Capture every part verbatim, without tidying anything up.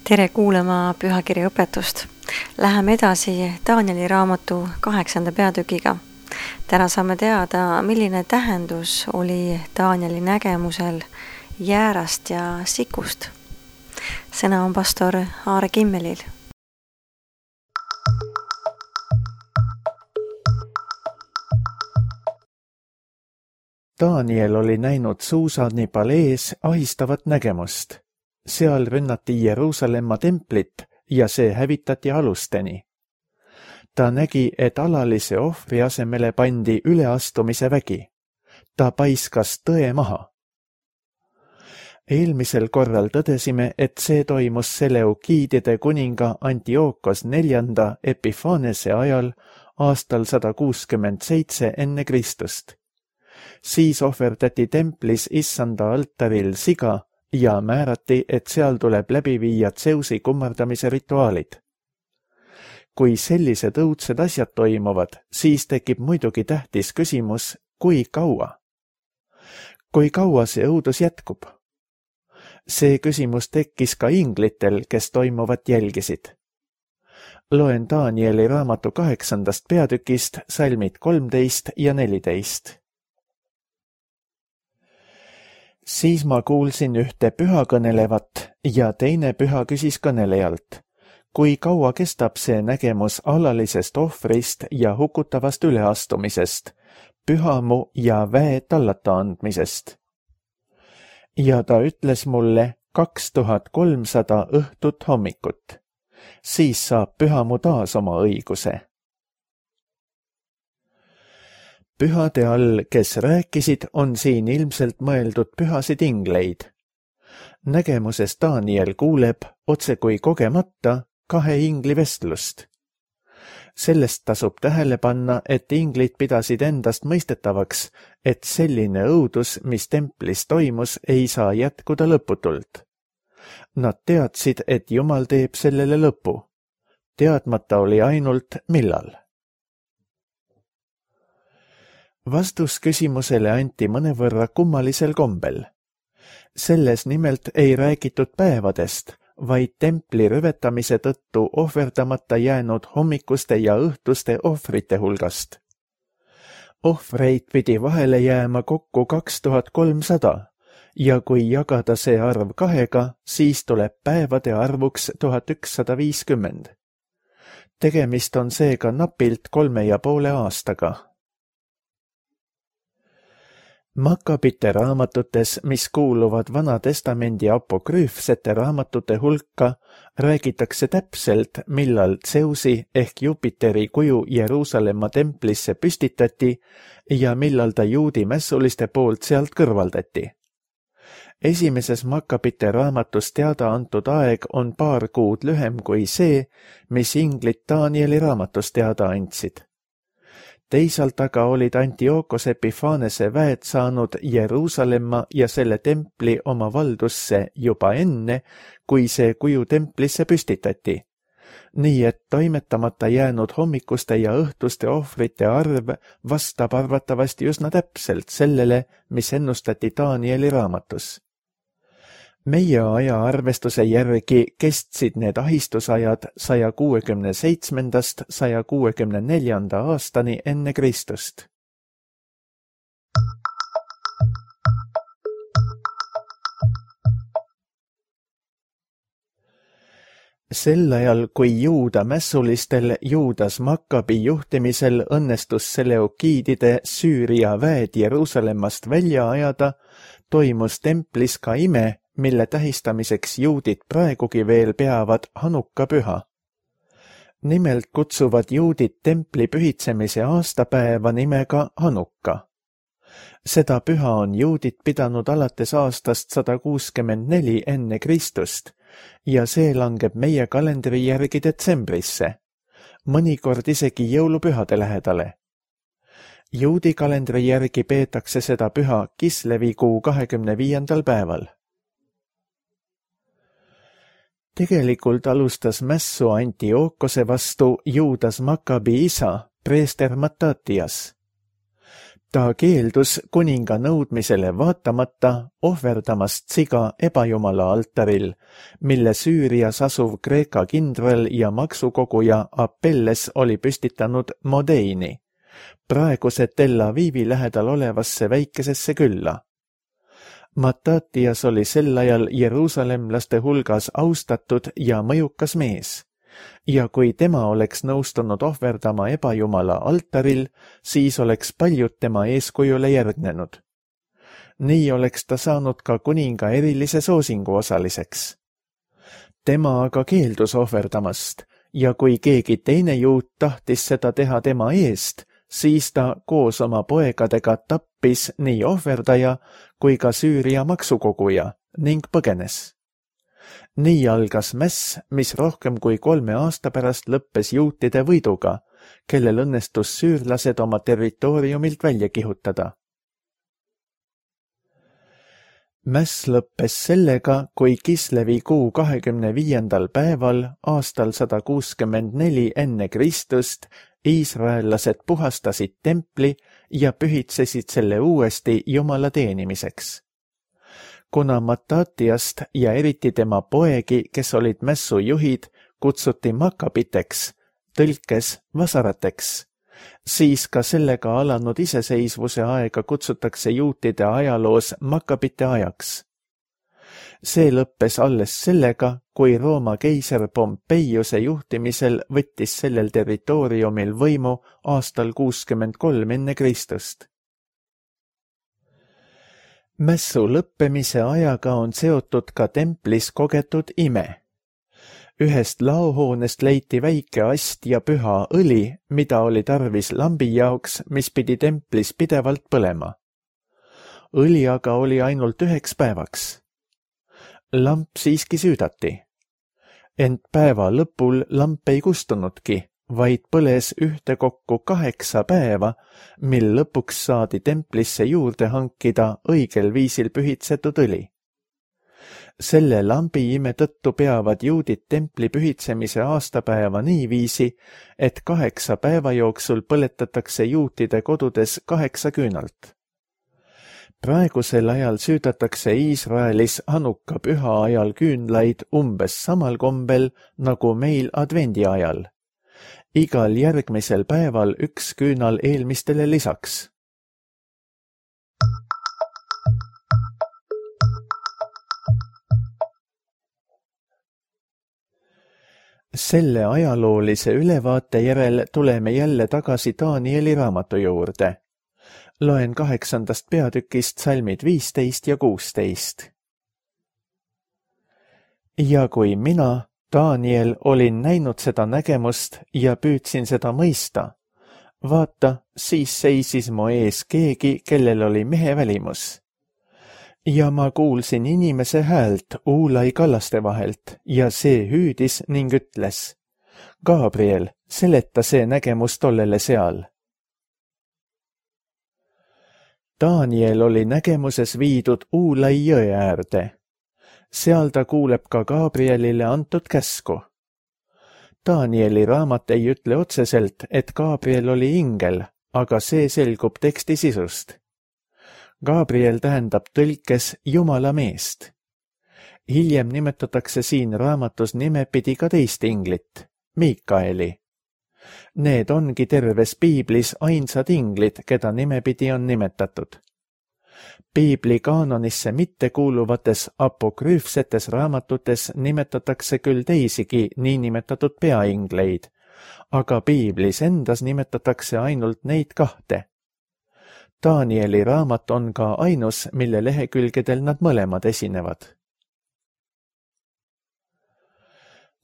Tere kuulama pühakirja õpetust. Läheme edasi Danieli raamatu kaheksanda peatükiga. Täna saame teada, milline tähendus oli Danieli nägemusel jäärast ja sikust. Sõna on pastor Aare Kimmelil. Daniel oli näinud Suusanipal ees ahistavat nägemust. Seal rünnati Jeruusalemma templit ja see hävitati alusteni. Ta nägi, et alalise ohvri asemele pandi üleastumise vägi. Ta paiskas tõe maha. Eelmisel korral tõdesime, et see toimus Seleukiidide kuninga Antiookos neljanda Epifanese ajal aastal sada kuuskümmend seitse enne Kristust. Siis ohverdati templis issanda altaril siga ja määrati, et seal tuleb läbi viia Tseusi kummardamise rituaalid. Kui sellised õudsed asjad toimuvad, siis tekib muidugi tähtis küsimus, kui kaua? Kui kaua see õudus jätkub? See küsimus tekkis ka inglitel, kes toimuvat jälgisid. Loen Danieli raamatu kaheksandast peatükist salmid kolmteist ja neliteist. Siis ma kuulsin ühte püha kõnelevat ja teine püha küsis kõnelejalt, kui kaua kestab see nägemus alalisest ohvrist ja hukutavast üleastumisest, pühamu ja väe tallata andmisest. Ja ta ütles mulle kaks tuhat kolmsada õhtut hommikut. Siis saab pühamu taas oma õiguse. Pühade all, kes rääkisid, on siin ilmselt mõeldud pühasid ingleid. Nägemuses Daniel kuuleb, otse kui kogemata, kahe ingli vestlust. Sellest tasub tähele panna, et inglid pidasid endast mõistetavaks, et selline õudus, mis templis toimus, ei saa jätkuda lõputult. Nad teadsid, et Jumal teeb sellele lõpu. Teadmata oli ainult, millal. Vastus küsimusele anti mõnevõrra kummalisel kombel. Selles nimelt ei räägitud päevadest, vaid templi rüvetamise tõttu ohverdamata jäänud hommikuste ja õhtuste ohvrite hulgast. Ohvreid pidi vahele jääma kokku kaks tuhat kolmsada ja kui jagada see arv kahega, siis tuleb päevade arvuks tuhat ükssada viiskümmend. Tegemist on seega napilt kolme ja poole aastaga. Makkabite raamatutes, mis kuuluvad Vana Testamendi apokrüüfsete raamatute hulka, räägitakse täpselt, millal Tseusi ehk Jupiteri kuju Jeruusalemma templisse püstitati ja millal ta juudi mässuliste poolt sealt kõrvaldati. Esimeses Makkabite raamatus teada antud aeg on paar kuud lühem kui see, mis inglid Danieli raamatus teada andsid. Teisalt aga olid Antiookos Epifanese väed saanud Jeruusalemma ja selle templi oma valdusse juba enne, kui see kuju templisse püstitati. Nii et toimetamata jäänud hommikuste ja õhtuste ohvrite arv vastab arvatavasti üsna täpselt sellele, mis ennustati Danieli raamatus. Meie aja arvestuse järgi kestsid need ahistusajad saja kuuekümne seitsmendast saja kuuekümne neljanda aastani enne Kristust. Sel ajal, kui juuda mässulistel Juudas Makkabi juhtimisel õnnestus Seleukiidide Süüria väed Jeruusalemmast välja ajada, toimus templis ka ime, mille tähistamiseks juudid praegugi veel peavad Hanukka püha. Nimelt kutsuvad juudid templi pühitsemise aastapäeva nimega Hanukka. Seda püha on juudid pidanud alates aastast sada kuuskümmend neli enne Kristust ja see langeb meie kalendri järgi detsembrisse, mõnikord isegi jõulupühade lähedale. Juudi kalendri järgi peetakse seda püha Kislevi kuu kahekümne viiendal päeval. Tegelikult alustas mässu Antiookose vastu Juudas Makkabi isa, preester Matatias. Ta keeldus kuninga nõudmisele vaatamata ohverdamast siga ebajumala altaril, mille Süürias asuv Kreeka kindral ja maksukoguja Apelles oli püstitanud Modeini, praeguse Tel Avivi lähedal olevasse väikesesse külla. Matatias oli sel ajal jeruusalemlaste hulgas austatud ja mõjukas mees, ja kui tema oleks nõustunud ohverdama ebajumala altaril, siis oleks paljud tema eeskujule järgnenud. Nii oleks ta saanud ka kuninga erilise soosingu osaliseks. Tema aga keeldus ohverdamast, ja kui keegi teine juut tahtis seda teha tema eest, siis ta koos oma poegadega tappis nii ohverdaja kui ka Süüria maksukoguja ning põgenes. Nii algas mäss, mis rohkem kui kolme aasta pärast lõppes juutide võiduga, kellel õnnestus süürlased oma territooriumilt välja kihutada. Mäss lõppes sellega, kui Kislevi kuu kahekümne viiendal päeval aastal sada kuuskümmend neli enne Kristust iisraellased puhastasid templi ja pühitsesid selle uuesti Jumala teenimiseks. Kuna Matatiast ja eriti tema poegi, kes olid mässu juhid, kutsuti makabiteks, tõlkes vasarateks, siis ka sellega alanud iseseisvuse aega kutsutakse juutide ajaloos makabite ajaks. See lõppes alles sellega, kui Rooma keiser Pompeiuse juhtimisel võttis sellel territooriumil võimu aastal kuuskümmend kolm enne Kristust. Mässu lõppemise ajaga on seotud ka templis kogetud ime. Ühest laohoonest leiti väike ast ja püha õli, mida oli tarvis lambi jaoks, mis pidi templis pidevalt põlema. Õli aga oli ainult üheks päevaks. Lamp siiski süüdati. Ent päeva lõpul lamp ei kustunudki, vaid põles ühtekokku kaheksa päeva, mil lõpuks saadi templisse juurde hankida õigel viisil pühitsetud õli. Selle lambi ime tõttu peavad juudid templi pühitsemise aastapäeva niiviisi, et kaheksa päeva jooksul põletatakse juutide kodudes kaheksa küünalt. Praegusel ajal süüdatakse Iisraelis Hanuka püha ajal küünlaid umbes samal kombel nagu meil advendi ajal. Igal järgmisel päeval üks küünal eelmistele lisaks. Selle ajaloolise ülevaate järel tuleme jälle tagasi Danieli raamatu juurde. Loen kaheksandast peatükist salmid viisteist ja kuusteist. Ja kui mina, Daniel, olin näinud seda nägemust ja püüdsin seda mõista, vaata, siis seisis mu ees keegi, kellel oli mehe välimus. Ja ma kuulsin inimese häält Uulai kallaste vahelt ja see hüüdis ning ütles, Gabriel, seleta see nägemus tollele seal. Daniel oli nägemuses viidud Uulai jõe äärde. Seal ta kuuleb ka Gabrielile antud käsku. Danieli raamat ei ütle otseselt, et Gabriel oli ingel, aga see selgub teksti sisust. Gabriel tähendab tõlkes Jumala meest. Hiljem nimetatakse siin raamatus nimepidi ka teist inglit, Miikaeli. Need ongi terves piiblis ainsad inglid, keda nimepidi on nimetatud. Piibli kaanonisse mittekuuluvates apokrüüfsetes raamatutes nimetatakse küll teisigi niinimetatud peaingleid, aga piiblis endas nimetatakse ainult neid kahte. Danieli raamat on ka ainus, mille lehekülgedel nad mõlemad esinevad.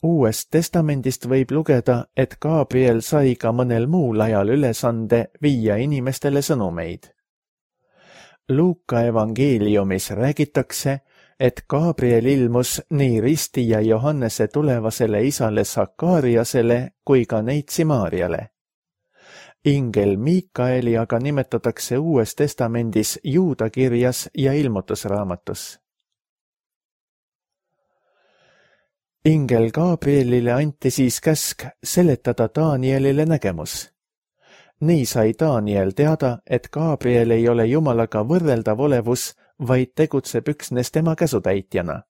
Uuest testamendist võib lugeda, et Gabriel sai ka mõnel muul ajal ülesande viia inimestele sõnumeid. Luuka evangeeliumis räägitakse, et Gabriel ilmus nii ristija Johannese tulevasele isale Sakariasele kui ka neitsi Maarjale. Ingel Miikaeli aga nimetatakse Uues testamendis Juuda kirjas ja ilmutusraamatus. Ingel Gabrielile anti siis käsk seletada Danielile nägemus. Nii sai Daniel teada, et Gabriel ei ole Jumalaga võrreldav olevus, vaid tegutseb üksnes tema käsutäitjana.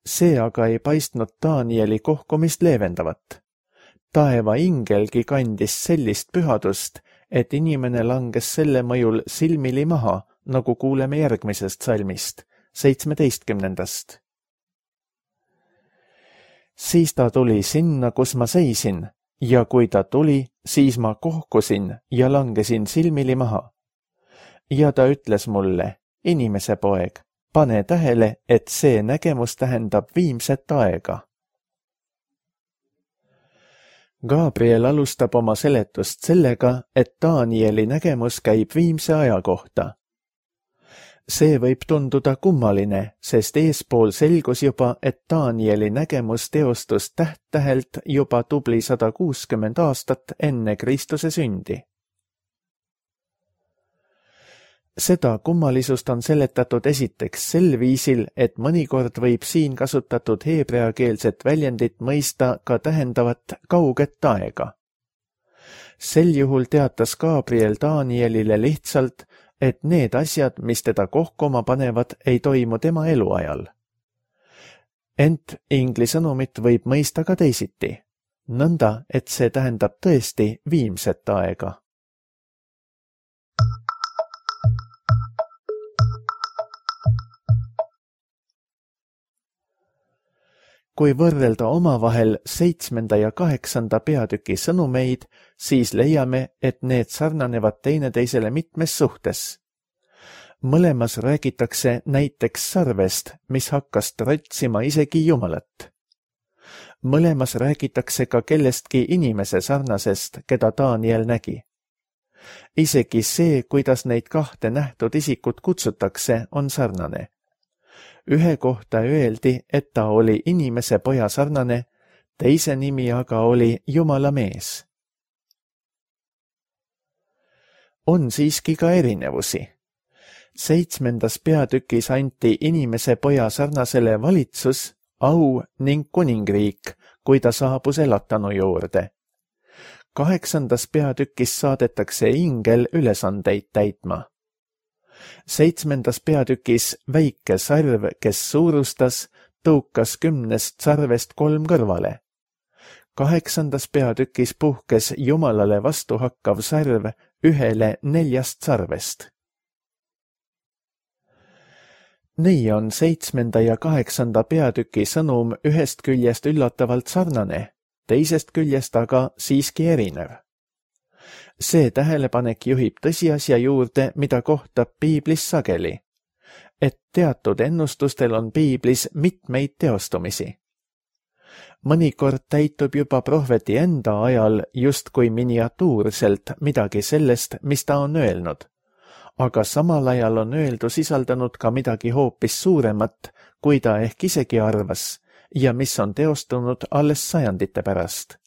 See aga ei paistnud Danieli kohkumist leevendavat. Taeva ingelgi kandis sellist pühadust, et inimene langes selle mõjul silmili maha, nagu kuuleme järgmisest salmist, seitsmeteistkümnendast. Siis ta tuli sinna, kus ma seisin, ja kui ta tuli, siis ma kohkusin ja langesin silmili maha. Ja ta ütles mulle, inimese poeg, pane tähele, et see nägemus tähendab viimset aega. Gabriel alustab oma seletust sellega, et Danieli nägemus käib viimse aja kohta. See võib tunduda kummaline, sest eespool selgus juba, et Danieli nägemus teostus täht-tähelt juba tubli sada kuuskümmend aastat enne Kristuse sündi. Seda kummalisust on seletatud esiteks sel viisil, et mõnikord võib siin kasutatud heebreakeelset väljendit mõista ka tähendavat kauget aega. Sel juhul teatas Gabriel Danielile lihtsalt, et need asjad, mis teda kohkuma panevad, ei toimu tema eluajal. Ent ingli sõnumit võib mõista ka teisiti, nõnda, et see tähendab tõesti viimset aega. Kui võrrelda omavahel seitsmenda ja kaheksanda peatüki sõnumeid, siis leiame, et need sarnanevad teineteisele mitmes suhtes. Mõlemas räägitakse näiteks sarvest, mis hakkas trotsima isegi Jumalat. Mõlemas räägitakse ka kellestki inimese sarnasest, keda Daniel nägi. Isegi see, kuidas neid kahte nähtud isikut kutsutakse, on sarnane. Ühe kohta öeldi, et ta oli inimese poja sarnane, teise nimi aga oli Jumala mees. On siiski ka erinevusi. Seitsmendas peatükis anti inimese poja sarnasele valitsus, au ning kuningriik, kui ta saabus elatanu juurde. Kaheksandas peatükis saadetakse ingel ülesandeid täitma. Seitsmendas peatükis väike sarv, kes suurustas, tõukas kümnest sarvest kolm kõrvale. Kaheksandas peatükis puhkes Jumalale vastu hakkav sarv ühele neljast sarvest. Nii on seitsmenda ja kaheksanda peatüki sõnum ühest küljest üllatavalt sarnane, teisest küljest aga siiski erinev. See tähelepanek juhib tõsiasja juurde, mida kohtab piiblis sageli, et teatud ennustustel on piiblis mitmeid teostumisi. Mõnikord täitub juba prohveti enda ajal justkui miniatuurselt midagi sellest, mis ta on öelnud, aga samal ajal on öeldu sisaldanud ka midagi hoopis suuremat, kui ta ehk isegi arvas, ja mis on teostunud alles sajandite pärast.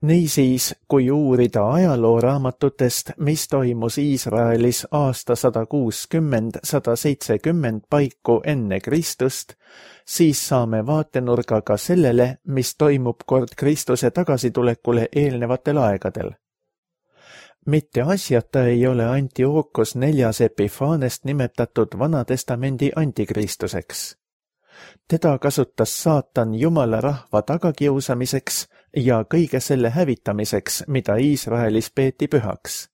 Niisiis, kui uurida ajalooraamatutest, mis toimus Iisraelis aasta sada kuuskümmend sada seitsekümmend paiku enne Kristust, siis saame vaatenurga ka sellele, mis toimub kord Kristuse tagasitulekule eelnevatel aegadel. Mitte asjata ei ole Antiookos neljas Epifanest nimetatud Vanatestamendi antikristuseks. Teda kasutas saatan Jumala rahva tagakiusamiseks ja kõige selle hävitamiseks, mida Iisraelis peeti pühaks.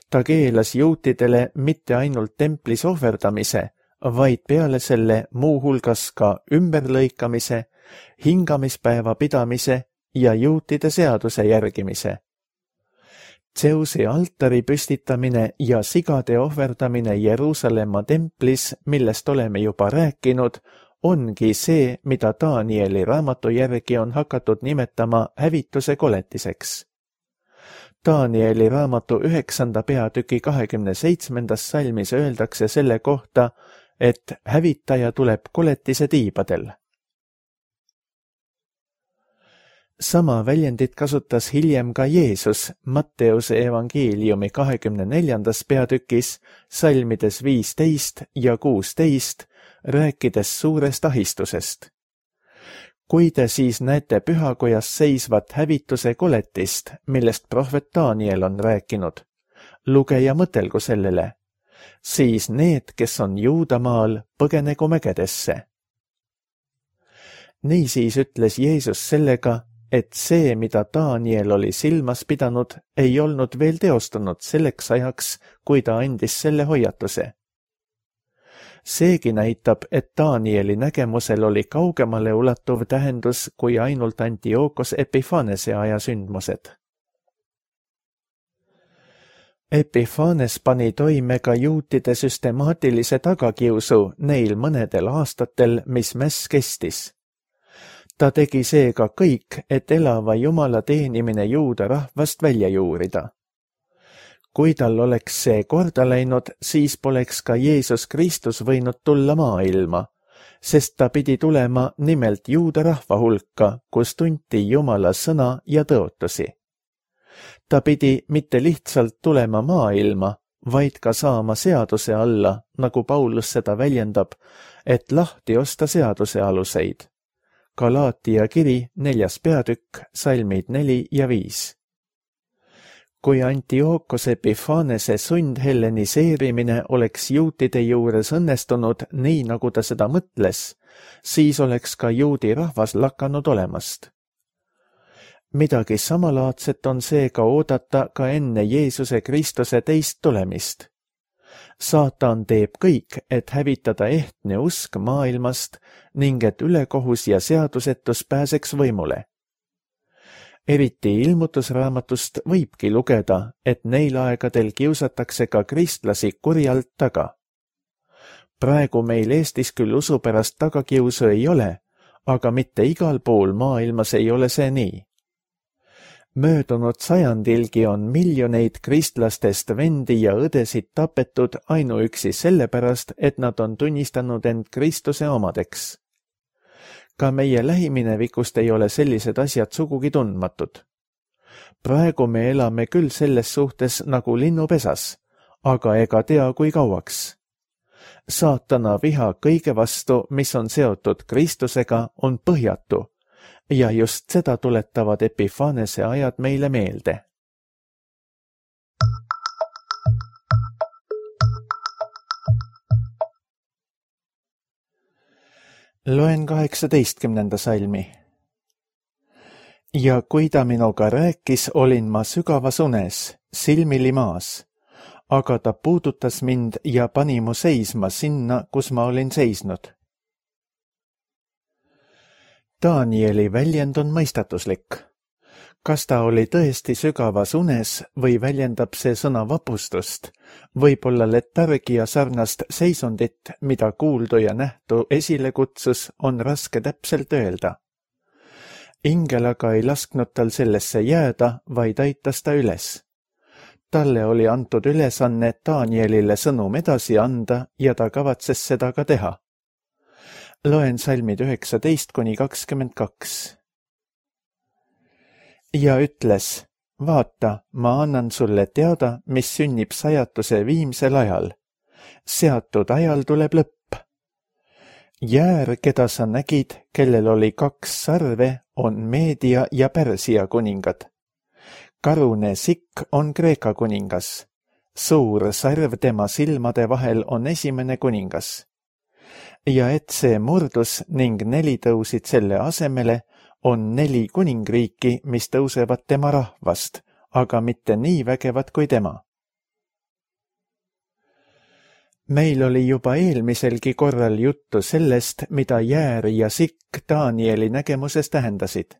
Ta keelas juutidele mitte ainult templis ohverdamise, vaid peale selle muuhulgas ka ümberlõikamise, hingamispäeva pidamise ja juutide seaduse järgimise. Zeusi altari püstitamine ja sigade ohverdamine Jeruusalemma templis, millest oleme juba rääkinud, ongi see, mida Danieli raamatu järgi on hakatud nimetama hävituse koletiseks. Danieli raamatu üheksanda peatüki kahekümne seitsmendas salmis öeldakse selle kohta, et hävitaja tuleb koletise tiibadel. Sama väljendit kasutas hiljem ka Jeesus Matteuse evangeeliumi kahekümne neljandas peatükis, salmides viisteist ja kuusteist, rääkides suurest ahistusest. kui te siis näete pühakojas seisvat hävituse koletist, millest prohvet Daniel on rääkinud, luge ja mõtelgu sellele, siis need, kes on Juudamaal, põgenegu mägedesse. Niisiis ütles Jeesus sellega, et see, mida Daniel oli silmas pidanud, ei olnud veel teostunud selleks ajaks, kui ta andis selle hoiatuse. Seegi näitab, et Danieli nägemusel oli kaugemale ulatuv tähendus kui ainult Antiochos Epiphanese aja sündmused. Epiphanes pani toime ka juutide süstemaatilise tagakiusu neil mõnedel aastatel, mis mäss kestis. Ta tegi seega kõik, et elava Jumala teenimine juuda rahvast välja juurida. Kui tal oleks see korda läinud, siis poleks ka Jeesus Kristus võinud tulla maailma, sest ta pidi tulema nimelt juuda rahva hulka, kus tunti Jumala sõna ja tõotusi. Ta pidi mitte lihtsalt tulema maailma, vaid ka saama seaduse alla, nagu Paulus seda väljendab, et lahti osta seaduse aluseid. Galaatia kiri, neljas peatükk, salmid neli ja viis. Kui Antiochos Epiphanese sundhelleniseerimine oleks juutide juures õnnestunud nii, nagu ta seda mõtles, siis oleks ka juudi rahvas lakanud olemast. Midagi samalaadset on seega oodata ka enne Jeesuse Kristuse teist tulemist. Saatan teeb kõik, et hävitada ehtne usk maailmast ning et ülekohus ja seadusetus pääseks võimule. Eriti ilmutusraamatust võibki lugeda, et neil aegadel kiusatakse ka kristlasi kurjalt taga. Praegu meil Eestis küll usu pärast tagakiusu ei ole, aga mitte igal pool maailmas ei ole see nii. Möödunud sajandilgi on miljoneid kristlastest vendi ja õdesid tapetud ainuüksi sellepärast, et nad on tunnistanud end Kristuse omadeks. Ka meie lähiminevikust ei ole sellised asjad sugugi tundmatud. Praegu me elame küll selles suhtes nagu linnupesas, aga ega tea kui kauaks. Saatana viha kõige vastu, mis on seotud Kristusega, on põhjatu. Ja just seda tuletavad Epiphanese ajad meile meelde. Loen kaheksateistkümnenda salmi. Ja kui ta minuga rääkis, olin ma sügavas unes, silmili maas, aga ta puudutas mind ja pani mu seisma sinna, kus ma olin seisnud. Danieli väljend on mõistatuslik. Kas ta oli tõesti sügavas unes või väljendab see sõna vapustust, võib-olla letargia sarnast seisundit, mida kuuldu ja nähtu esile kutsus, on raske täpselt öelda. Ingel aga ei lasknud tal sellesse jääda, vaid aitas ta üles. Talle oli antud ülesanne Danielile sõnum edasi anda ja ta kavatses seda ka teha. Loen salmid üheksateist kuni kakskümmend kaks. Ja ütles, vaata, ma annan sulle teada, mis sünnib sajatuse viimsel ajal. Seatud ajal tuleb lõpp. Jäär, keda sa nägid, kellel oli kaks sarve, on Meedia ja Pärsia kuningad. Karune sikk on Kreeka kuningas. Suur sarv tema silmade vahel on esimene kuningas. Ja et see murdus ning neli tõusid selle asemele, on neli kuningriiki, mis tõusevad tema rahvast, aga mitte nii vägevad kui tema. Meil oli juba eelmiselgi korral juttu sellest, mida jäär ja sikk Danieli nägemuses tähendasid.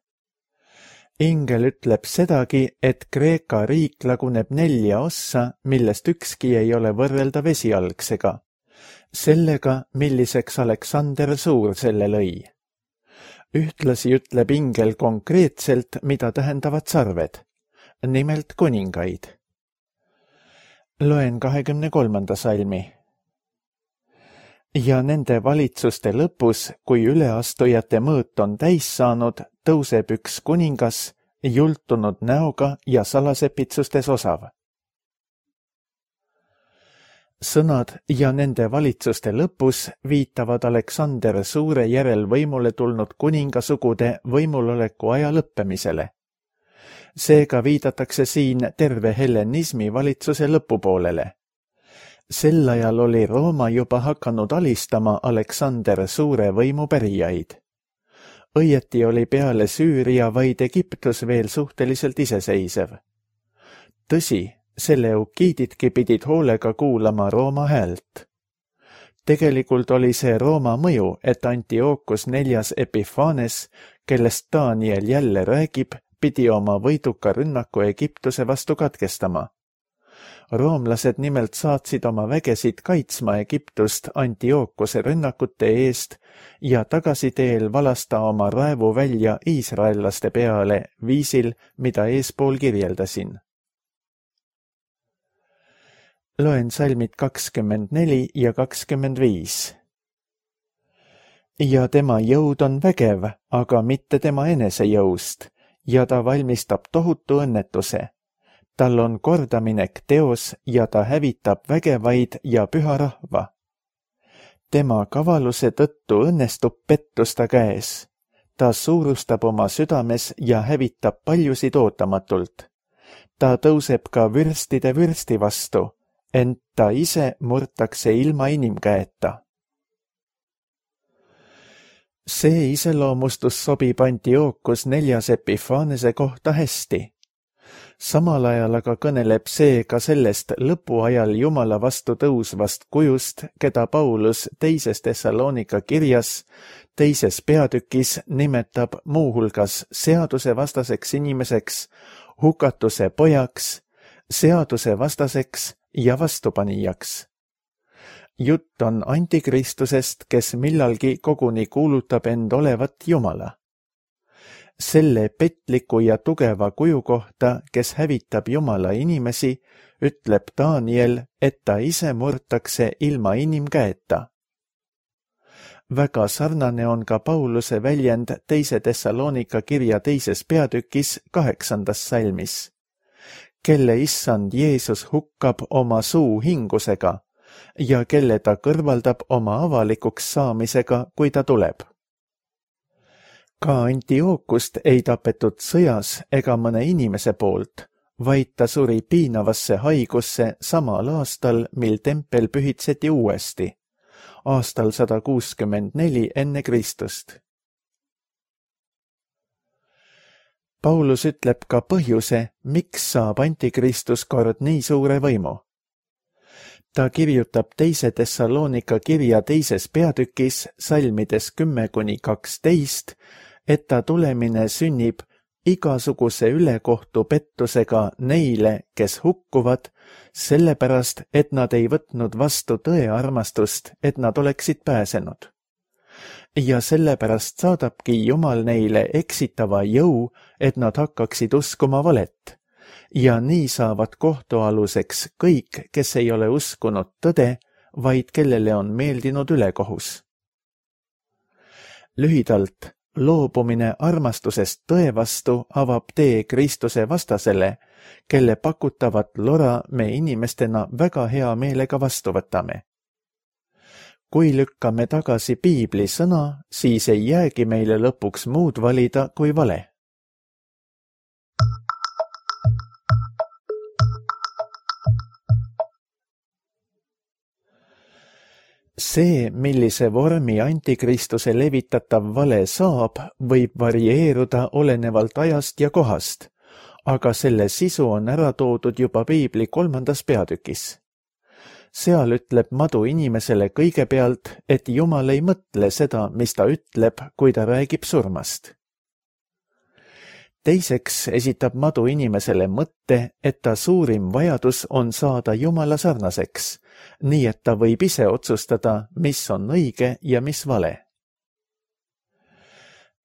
Ingel ütleb sedagi, et Kreeka riik laguneb nelja ossa, millest ükski ei ole võrreldav esialgsega. Sellega, milliseks Aleksander Suur selle lõi. Ühtlasi ütleb ingel konkreetselt, mida tähendavad sarved, nimelt kuningaid. Loen kahekümne kolmanda salmi. Ja nende valitsuste lõpus, kui üleastujate mõõt on täis saanud, tõuseb üks kuningas, jultunud näoga ja salasepitsustes osav. sõnad ja nende valitsuste lõpus viitavad Aleksander Suure järel võimule tulnud kuningasugude võimuloleku aja lõppemisele. Seega viidatakse siin terve hellenismi valitsuse lõpupoolele. Sel ajal oli Rooma juba hakanud alistama Aleksander Suure võimupärijaid. Õieti oli peale Süüria vaid Egiptus veel suhteliselt iseseisev. Tõsi, seleukiididki pidid hoolega kuulama Rooma häält. Tegelikult oli see Rooma mõju, et Antiochus neljas Epiphanes, kellest Daniel jälle räägib, pidi oma võiduka rünnaku Egiptuse vastu katkestama. Roomlased nimelt saatsid oma vägesid kaitsma Egiptust Antiochuse rünnakute eest ja tagasiteel valasta oma raevu välja iisraellaste peale viisil, mida eespool kirjeldasin. Loen salmid kakskümmend neli ja kakskümmend viis. Ja tema jõud on vägev, aga mitte tema enesejõust, ja ta valmistab tohutu õnnetuse. Tal on kordaminek teos ja ta hävitab vägevaid ja püha rahva. Tema kavaluse tõttu õnnestub pettus ta käes. Ta suurustab oma südames ja hävitab paljusid ootamatult. Ta tõuseb ka vürstide vürsti vastu, ent ta ise murtakse ilma inimkäeta. See iseloomustus sobib Antiochus neljas Epiphanese kohta hästi. Samal ajal aga kõneleb see ka sellest lõpuajal Jumala vastu tõusvast kujust, keda Paulus teises Thessalonika kirjas, teises peatükis nimetab muuhulgas seaduse vastaseks inimeseks, hukatuse pojaks, seaduse vastaseks ja vastupanijaks. Jutt on antikristusest, kes millalgi koguni kuulutab end olevat Jumala. Selle petliku ja tugeva kuju kohta, kes hävitab Jumala inimesi, ütleb Daniel, et ta ise murtakse ilma inimkäeta. Väga sarnane on ka Pauluse väljend teise Thessalonika kirja teises peatükis kaheksandas salmis. Kelle issand Jeesus hukkab oma suu hingusega ja kelle ta kõrvaldab oma avalikuks saamisega, kui ta tuleb. Ka Antiochust ei tapetud sõjas ega mõne inimese poolt, vaid ta suri piinavasse haigusse samal aastal, mil tempel pühitseti uuesti, aastal sada kuuskümmend neli enne Kristust. Paulus ütleb ka põhjuse, miks saab antikristus kord nii suure võimu. Ta kirjutab teise Thessalonika kirja teises peatükis salmides kümme kuni kaksteist, et ta tulemine sünnib igasuguse ülekohtu pettusega neile, kes hukkuvad, sellepärast, et nad ei võtnud vastu tõe armastust, et nad oleksid pääsenud. Ja sellepärast saadabki Jumal neile eksitava jõu, et nad hakkaksid uskuma valet. Ja nii saavad kohtualuseks kõik, kes ei ole uskunud tõde, vaid kellele on meeldinud ülekohus. Lühidalt, loobumine armastusest tõe vastu avab tee Kristuse vastasele, kelle pakutavat lora me inimestena väga hea meelega vastu võtame. Kui lükkame tagasi Piibli sõna, siis ei jäägi meile lõpuks muud valida kui vale. See, millise vormi antikristuse levitatav vale saab, võib varieeruda olenevalt ajast ja kohast, aga selle sisu on ära toodud juba Piibli kolmandas peatükis. Seal ütleb madu inimesele kõigepealt, et Jumal ei mõtle seda, mis ta ütleb, kui ta räägib surmast. Teiseks esitab madu inimesele mõtte, et ta suurim vajadus on saada Jumala sarnaseks, nii et ta võib ise otsustada, mis on õige ja mis vale.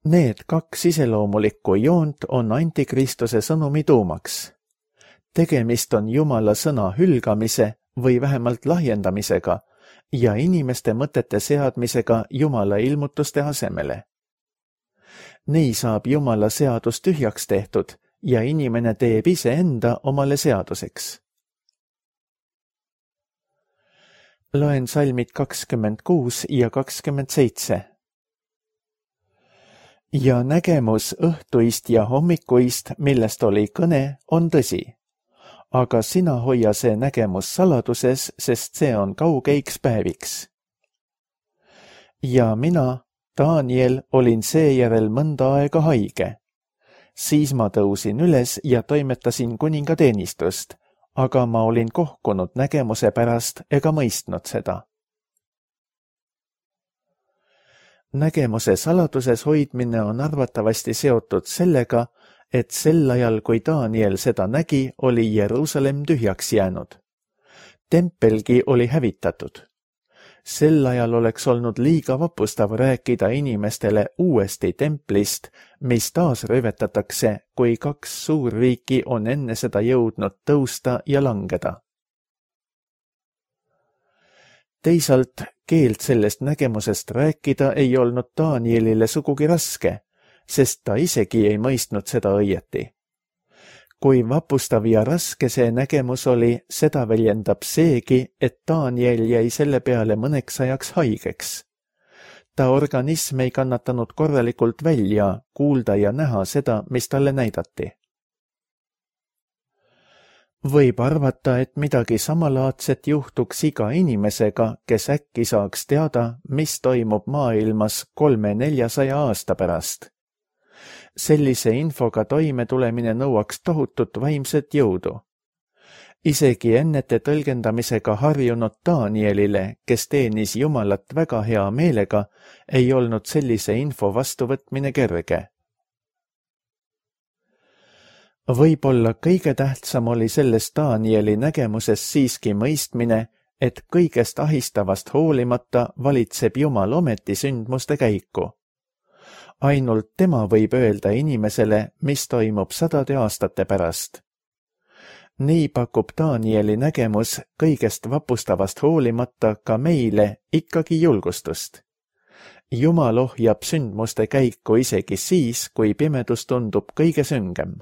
Need kaks iseloomulikku joont on antikristuse sõnumi tuumaks. Tegemist on Jumala sõna hülgamise või vähemalt lahjendamisega ja inimeste mõtete seadmisega Jumala ilmutuste asemele. Nii saab Jumala seadus tühjaks tehtud ja inimene teeb iseenda omale seaduseks. Loen salmid kakskümmend kuus ja kakskümmend seitse. Ja nägemus õhtuist ja hommikuist, millest oli kõne, on tõsi. Aga sina hoia see nägemus saladuses, sest see on kaugeiks päeviks. Ja mina, Daniel, olin seejärel mõnda aega haige. Siis ma tõusin üles ja toimetasin kuninga teenistust, aga ma olin kohkunud nägemuse pärast ega mõistnud seda. Nägemuse saladuses hoidmine on arvatavasti seotud sellega, et sel ajal, kui Daniel seda nägi, oli Jeruusalemm tühjaks jäänud. Tempelgi oli hävitatud. Sel ajal oleks olnud liiga vapustav rääkida inimestele uuesti templist, mis taas röövetatakse, kui kaks suurriiki on enne seda jõudnud tõusta ja langeda. Teisalt keelt sellest nägemusest rääkida ei olnud Danielile sugugi raske, sest ta isegi ei mõistnud seda õieti. Kui vapustav ja raske see nägemus oli, seda väljendab seegi, et Daniel jäi selle peale mõneks ajaks haigeks. Ta organism ei kannatanud korralikult välja, kuulda ja näha seda, mis talle näidati. Võib arvata, et midagi samalaadset juhtuks iga inimesega, kes äkki saaks teada, mis toimub maailmas kolme-neljasaja aasta pärast. Sellise infoga toime tulemine nõuaks tohutut vaimset jõudu. Isegi ennete tõlgendamisega harjunud Danielile, kes teenis Jumalat väga hea meelega, ei olnud sellise info vastuvõtmine kerge. Võib-olla kõige tähtsam oli selles Danieli nägemuses siiski mõistmine, et kõigest ahistavast hoolimata valitseb Jumal ometi sündmuste käiku. Ainult tema võib öelda inimesele, mis toimub sadade aastate pärast. Nii pakub Danieli nägemus kõigest vapustavast hoolimata ka meile ikkagi julgustust. Jumal ohjab sündmuste käiku isegi siis, kui pimedus tundub kõige süngem.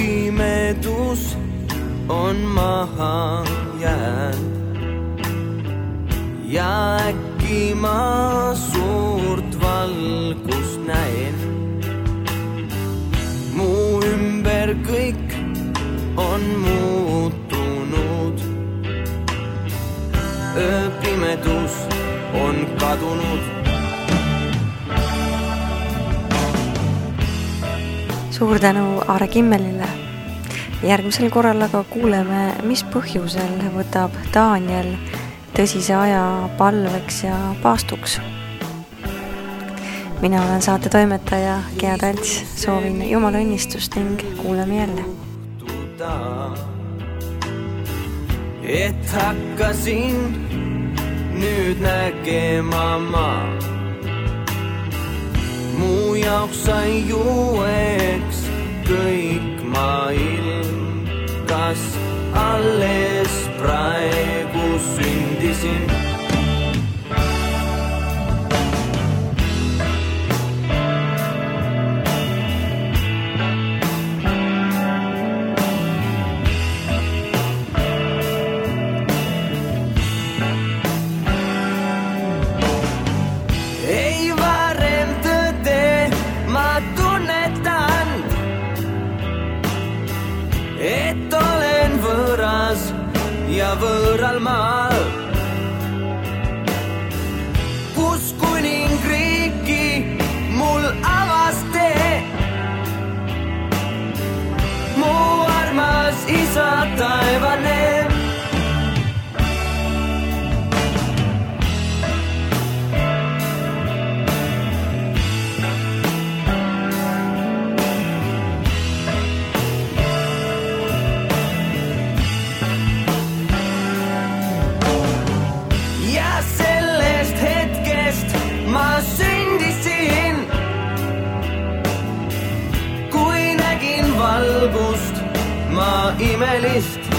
Pimedus on maha jäänud ja äkki ma suurt valgust näen. Mu ümber kõik on muutunud. Pimedus on kadunud. Suur tänu Aare Kimmelile. Järgmisel korral aga kuuleme, mis põhjusel võtab Daniel tõsise aja palveks ja paastuks. Mina olen saate toimetaja Gea Talts, soovin Jumala õnnistust ning kuuleme jälle. Et hakkasin nüüd nägema ma. Mu jaoks sai uueks kõik maailm, kas alles praegu sündisin. Ja võõral maal, kus kuningriiki mul avas tee. Mu armas isa taevane. Ma imelist